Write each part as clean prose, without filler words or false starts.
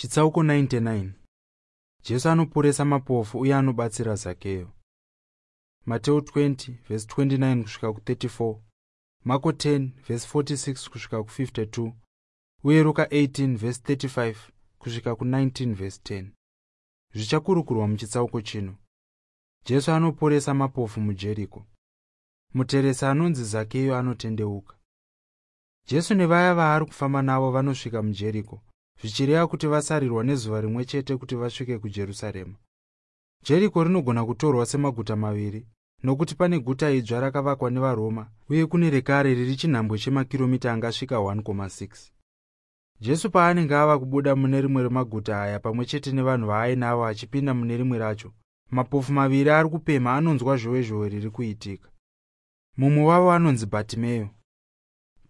Chitsauko 99. Jesu anoporesa mapofu uye anobatsira Zakeyo. Mateo 20:29 kusvika ku34, Marko 10:46 kusvika ku52 uye Ruka 18:35 kusvika ku19:10. Zvichakurukurwa muchitsauko chino. Jesu anoporesa mapofu muJeriko. Muteresi anonzi Zakeyo anotendeuka. Jesu nevaya vaari kufamba navo vanosvika muJeriko, zvichireva kuti vasarirwa nezuva rimwe chete kuti vasvike kuJerusarema. Jeriko rinogona kutorwa semaguta maviri, nokuti pane guta idzva rakavakwa nevaRoma uye kune rekare riri chinhambwe chemakiromita angasvika 1,6. Jesu paanenge ava kubuda mune rimwe remaguta aya pamwe chete nevanhu vaainavo achipinda mune rimwe racho, mapofu maviri ari kupemha anonzwa zhowezhowe riri kuitika. Mumwe wavo anonzi Bhatimeyo.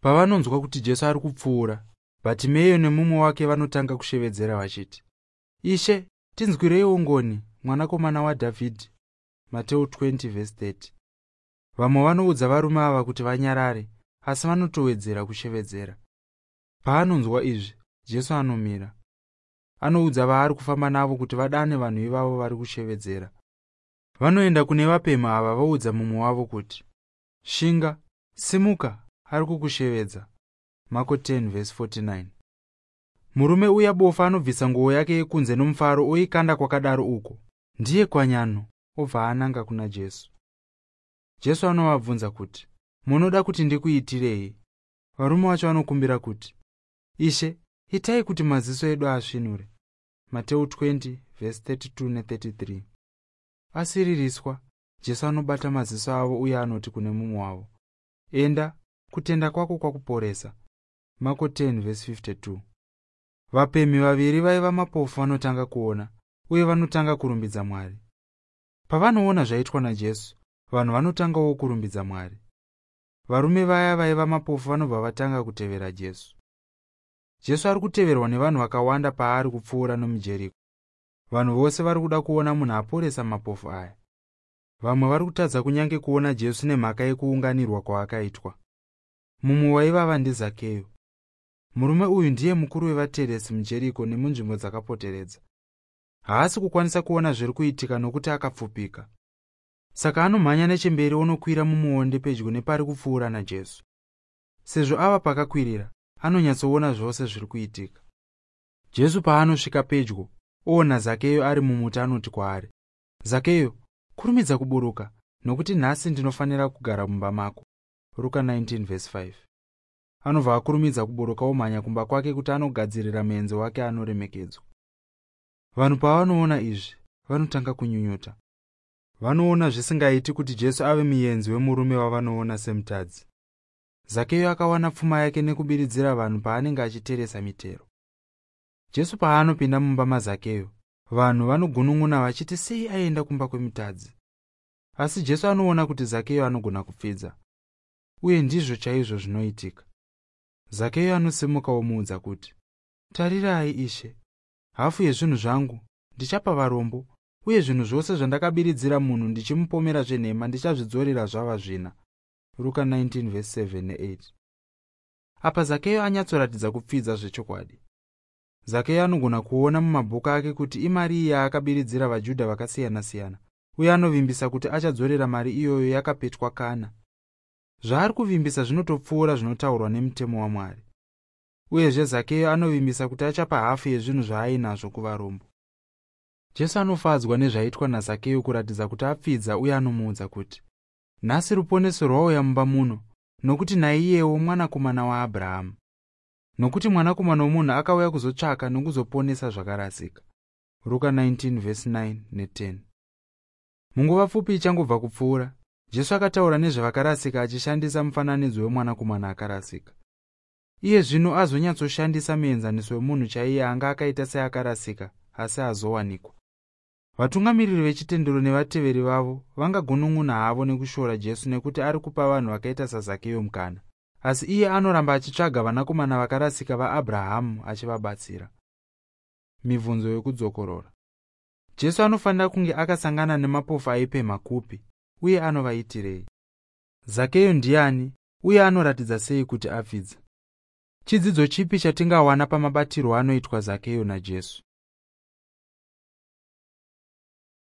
Pavanonzwa kuti Jesu ari kupfuura, Bhatimeyo nemumwe wake vanotanga kushevedzera vachiti, "Ishe, tinzwireiwo ngoni, mwanakomana waDhavhidhi." Mateo 20:30. Vamwe vanoudza varume ava kuti vanyarare, asi vanotowedzera kushevedzera. Paanonzwa izvi, Jesu anomira. Anoudza vaari kufamba navo kuti vadane vanhu ivavo vari kushevedzera. Vanoenda kune vapemha ava voudza mumwe wavo kuti, "Shinga, simuka, ari kukushevedza." Marko 10:49. Murume uya bofu anobvisa nguo yake yekunze nomufaro oikanda kwakadaro uko. Ndiye kwanyano, obva ananga kuna Jesu. Jesu anovabvunza kuti, "Munoda kuti ndikuitirei?" Varume vacho vanokumbira kuti, "Ishe, itai kuti maziso edu asvinure." Mateo 20:32-33. Asiririswa, Jesu anobata maziso avo uye anoti kune mumwe wavo, "Enda, kutenda kwako kwakuporesa." Marko 10:52. Vapemhi vaviri vaiva mapofu vanotanga kuona uye vanotanga kurumbidza Mwari. Pavanoona zvaitwa naJesu, vanhu vanotangawo kurumbidza Mwari. Varume vaya vaiva mapofu vanobva vatanga kutevera Jesu. Jesu ari kuteverwa nevanhu vakawanda paari kupfuura nomuJeriko. Vanhu vose vari kuda kuona munhu aporesa mapofu aya. Vamwe vari kutadza kunyange kuona Jesu nemhaka yekuunganirwa kwaakaitwa. Mumwe waivava ndiZakeyo. Murume uyu ndiye mukuru wevateresi muJeriko nemunzvimbo dzakapoteredza. Haasi kukwanisa kuona zviri kuitika nokuti akapfupika. Saka anomhanya nechemberi onokwira mumuonde pedyo nepari kupfuura naJesu. Sezvo ava pakakwirira, anonyatsoona zvose zviri kuitika. Jesu paanosvika pedyo, oona Zakeyo ari mumuti anoti kwaari, "Zakeyo, kurumidza kuburuka, nokuti nhasi ndinofanira kugara mumba mako." Ruka 19:5. Anobva akurumidza kuburuka omhanya kumba kwake kuti anogadzirira muenzi wake anoremekedzwa. Vanhu pavanoona izvi, vanotanga kunyunyuta. Vanoona zvisingaiti kuti Jesu ave muenzi wemurume wavanoona semutadzi. Zakeyo akawana pfuma yake nekubiridzira vanhu paanenge achiteresa mitero. Jesu paanopinda mumba maZakeyo, vanhu vanogunun'una vachiti sei aenda kumba kwemutadzi. Asi Jesu anoona kuti Zakeyo anogona kupfidza. Uye ndizvo chaizvo zvinoitika. Zakeyo anosimuka omuudza kuti, "Tarirai Ishe, hafu yezvinhu zvangu ndichapa varombo, uye zvinhu zvose zvandakabiridzira munhu ndichimupomera zvenhema ndichazvidzorera zvava zvina." Ruka 19:7-8. Apa Zakeyo anyatsoratidza kupfidza zvechokwadi. Zakeyo anogona kuona mumabhuku ake kuti imari iyi yaakabiridzira vaJudha vakasiyana-siyana, uye anovimbisa kuti achadzorera mari iyoyo yakapetwa kana. Zvaari kuvimbisa zvinotopfuura zvinotaurwa nemutemo waMwari. Uyezve Zakeyo anovimbisa kuti achapa hafu yezvinhu zvaainazvo kuvarombo. Jesu anofadzwa nezvaitwa naZakeyo kuratidza kuti apfidza uye anomuudza kuti, "Nhasi ruponeso rwauya mumba muno, nokuti naiyewo mwanakomana waAbhurahamu. Nokuti mwanakomana womunhu akauya kuzotsvaka nokuzoponesa zvakarasika." Ruka 19:9-10. Munguva pfupi ichangobva kupfuura, Jesu akataura nezvevakarasika achishandisa mufananidzo wemwanakomana akarasika. Iye zvino azonyatsoshandisa muenzaniso wemunhu chaiye anga akaita seakarasika asi azowanikwa. Vatungamiriri vechitendero nevateveri vavo vangagunun'una havo nekushora Jesu nekuti ari kupa vanhu vakaita saZakeyo mukana. Asi iye anoramba achitsvaga vanakomana vakarasika vaAbhurahamu achivabatsira. Mibvunzo yokudzokorora. Jesu anofanira kunge akasangana nemapofu aipemha kupi, uye anovaitirei? Zakeyo ndiani, uye anoratidza sei kuti apfidza? Chidzidzo chipi chatingawana pamabatirwo anoitwa Zakeyo naJesu?